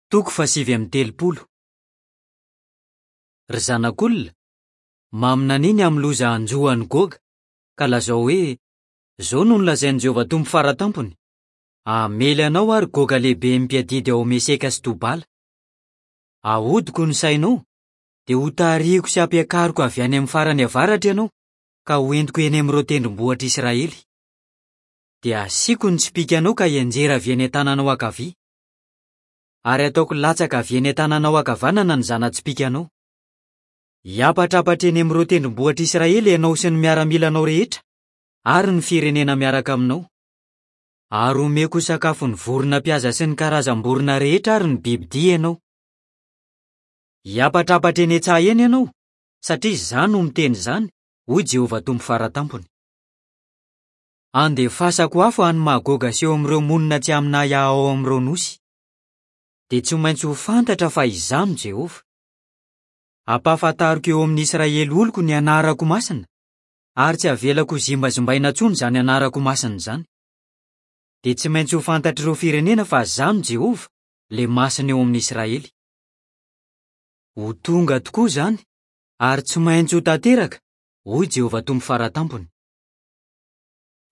Toko fahasivy amby telopolo. Ry zanak'olona, maminania ny amin'ny loza hanjo an'i Goga, ka lazao hoe, 'Izao no nolazain'i Jehovah Tompo Fara Tampony, Hamely anao aho, ry Goga lehiben'ny mpiadidy ao Meseka sy Tobala. Hahodiko ny sainao, dia hotarihiko sy hampiakariko avy any amin'ny farany avaratra ianao, ka hoentiko eny amin'ireo tendrombohitr'Israely. Dia hasiako ny tsipìkanao ka hianjera avy eny an-tananao ankavia. Ary hataoko latsaka avy eny an-tananao ankavanana ny zana-tsipìkanao. Hiampatrampatra eny amin'ireo tendrombohitr'Israely ianao sy ny miaramilanao rehetra ary ny firenena miaraka aminao. Ary homeko ho sakafon'ny vorona mpihaza sy ny karazam-borona rehetra ary ny bibidia ianao. Hiampatrampatra eny an-tsaha eny ianao, satria izaho no miteny izany, hoy Jehovah Tompo Fara Tampony. Handefasako afo any Magoga sy eo amin'ireo monina tsy amin'ahiahy ao amin'ireo nosy. Dia tsy maintsy ho fantatra fa izaho no Jehovah. Hampahafantariko eo amin'ny Israely oloko ny anarako masina, ary tsy havelako hozimbazimbaina intsony izany anarako masina izany. Dia tsy maintsy ho fantatr'ireo firenena fa izaho no Jehovah, ilay Masina eo amin'ny Israely. Ho tonga tokoa izany, ary tsy maintsy ho tanteraka, hoy Jehovah Tompo Fara Tampony.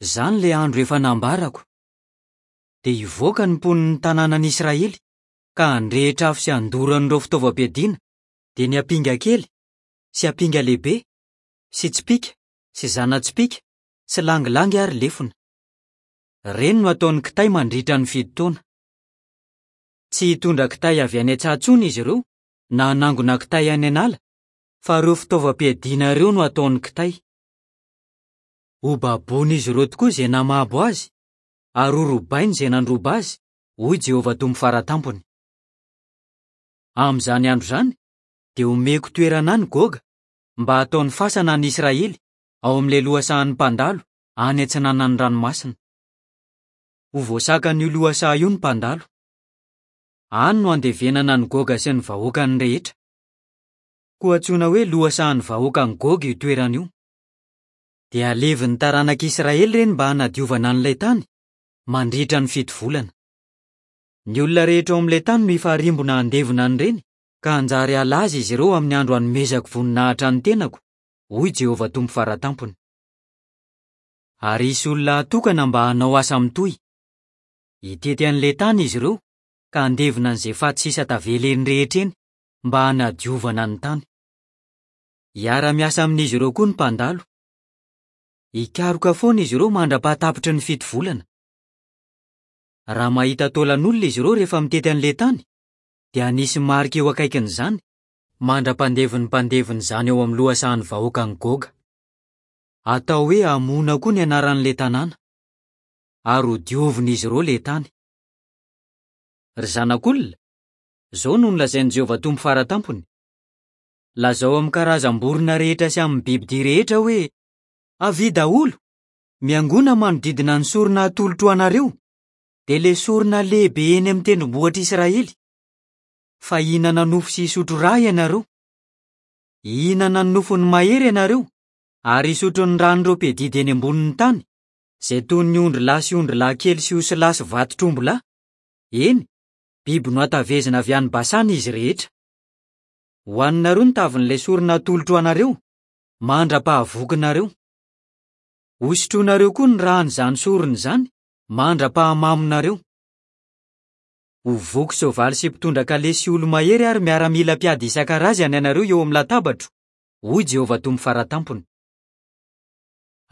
Izany ilay andro efa nambarako. Dia hivoaka ny mponin'ny tanànan'Israely, ka handrehitra afo sy handoro an'ireo fitaovam-piadiana, dia ny ampinga kely, sy ampinga lehibe, sy tsipìka, sy zana-tsipìka, sy langilangy ary lefona. Ireny no hataony kitay mandritra ny fito taona. Tsy hitondra kitay avy any an-tsaha intsony izy ireo, na hanangona kitay any an'ala, fa ireo fitaovam-piadiana ireo no hataony kitay. Hobaboin'izy ireo tokoa izay namabo azy, ary horobainy izay nandroba azy, hoy Jehovah Tompo Fara Tampony. Amin'izany andro izany, dia homeko toerana any Goga, mba hataony fasana any Israely, ao amin'ilay lohasahan'ny mpandalo, any atsinanan'ny ranomasina. Ho voasakan'io lohasaha io ny mpandalo. Any no handevenana an'i Goga sy ny vahoakany rehetra. Koa antsoina hoe lohasahan'ny vahoakan'i Goga io toerana io. Dia halevin'ny taranak'Israely ireny mba hanadiovana an'ilay tany, mandritra ny fito volana. Ny olona rehetra ao amin'ilay tany no hifarimbona handevona an'ireny, ka hanjary halaza izy ireo amin'ny andro hanomezako voninahitra ny tenako, hoy Jehovah Tompo Fara Tampony. Ary hisy olona hatokana mba hanao asa mitohy. Hitety an'ilay tany izy ireo, ka handevona an'izay faty sisa tavela eny rehetra eny, mba hanadiovana ny tany. Hiara-miasa amin'izy ireo koa ny mpandalo. Hikaroka foana izy ireo mandra-pahatapitry ny fito volana. Raha mahita taolan'olona izy ireo rehefa mitety an'ilay tany, dia hanisy marika eo akaikin'izany, mandra-pandevin'ny mpandevina izany eo amin'ny lohasahan'ny vahoakan'i Goga. Hatao hoe Hamona koa ny anaran'ilay tanàna. Ary hodiovin'izy ireo ilay tany. Ry zanak'olona, izao no nolazain'i Jehovah Tompo Fara Tampony, Lazao amin'ny karazam-borona rehetra sy amin'ny bibidia rehetra hoe, 'Avia daholo! Miangona manodidina ny sorona atolotro ho anareo, dia ilay sorona lehibe eny amin'ny tendrombohitr'Israely. Fa hihinana nofo sy hisotro ra ianareo. Hihinana ny nofon'ny mahery ianareo, ary hisotro ny ran'ireo mpiadidy eny ambonin'ny tany, izay toy ny ondrilahy sy ondrilahy kely sy osilahy sy vatotr'ombilahy, eny, biby nohatavezina avy any Basana izy rehetra. Hohaninareo ny tavin'ilay sorona atolotro ho anareo, mandra-pahavokinareo. Hosotroinareo koa ny ran'izany sorona izany, mandra-pahamamonareo. Ho voky soavaly sy mpitondra kalesy sy olo-mahery ary miaramila mpiady isan-karazany ianareo eo amin'ny latabatro, hoy Jehovah Tompo Fara Tampony.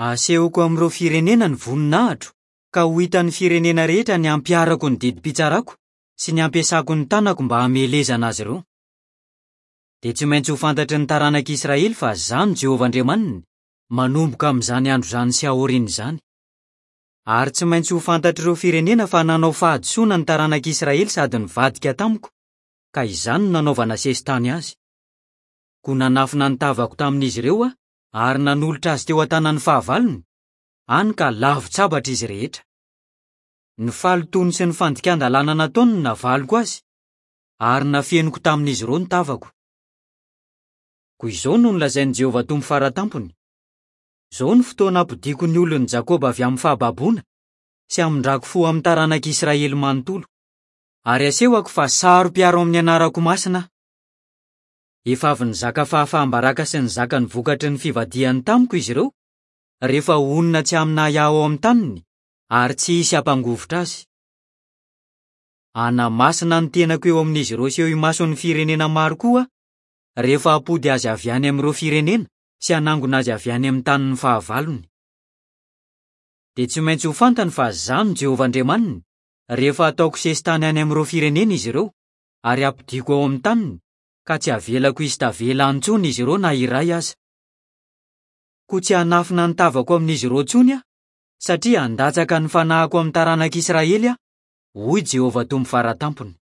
Hasehoko amin'ireo firenena ny voninahitro, ka ho hitan'ny firenena rehetra ny hampiharako ny didim-pitsarako sy ny hampiasako ny tanako mba hamelezana azy ireo. Dia tsy maintsy ho fantatry ny taranak'Israely fa Izaho no Jehovah Andriamaniny, manomboka amin'izany andro izany sy aorian'izany. Ary tsy maintsy ho fantatr'ireo firenena fa nanao fahadisoana ny taranak'Israely sady nivadika tamiko, ka izany no nanaovana sesitany azy. Koa nanafina ny tavako tamin'izy ireo aho ary nanolotra azy teo an-tanan'ny fahavalony, hany ka lavon-tsabatra izy rehetra. Ny fahalotoany sy ny fandikan-dalàna nataony no navaliko azy, ary nafeniko tamin'izy ireo ny tavako. Koa izao no nolazain'i Jehovah Tompo Fara Tampony, Izao no fotoana hampodiako ny olon'i Jakoba avy amin'ny fahababoana, sy hamindrako fo amin'ny taranak'Israely manontolo. Ary asehoko fa saro-piaro amin'ny anarako masina aho. Efa avy nizaka fahafaham-baraka sy nizaka ny vokatry ny fivadihany tamiko izy ireo, rehefa honina tsy amin'ahiahy ao amin'ny taniny, ary tsy hisy hampangovitra azy. Hanamasina ny tenako eo amin'izy ireo sy eo imason'ny firenena maro koa aho, rehefa hampody azy avy any amin'ireo firenena sy hanangona azy avy any amin'ny tanin'ny fahavalony. Dia tsy maintsy ho fantany fa izaho no Jehovah Andriamaniny, rehefa hataoko sesitany any amin'ireo firenena izy ireo, ary hampodiako ao amin'ny taniny, ka tsy havelako hisy tavela any intsony izy ireo na iray aza. Koa tsy hanafina ny tavako amin'izy ireo intsony aho, satria handatsaka ny fanahiko amin'ny taranak'Israely aho, hoy Jehovah Tompo Fara Tampony.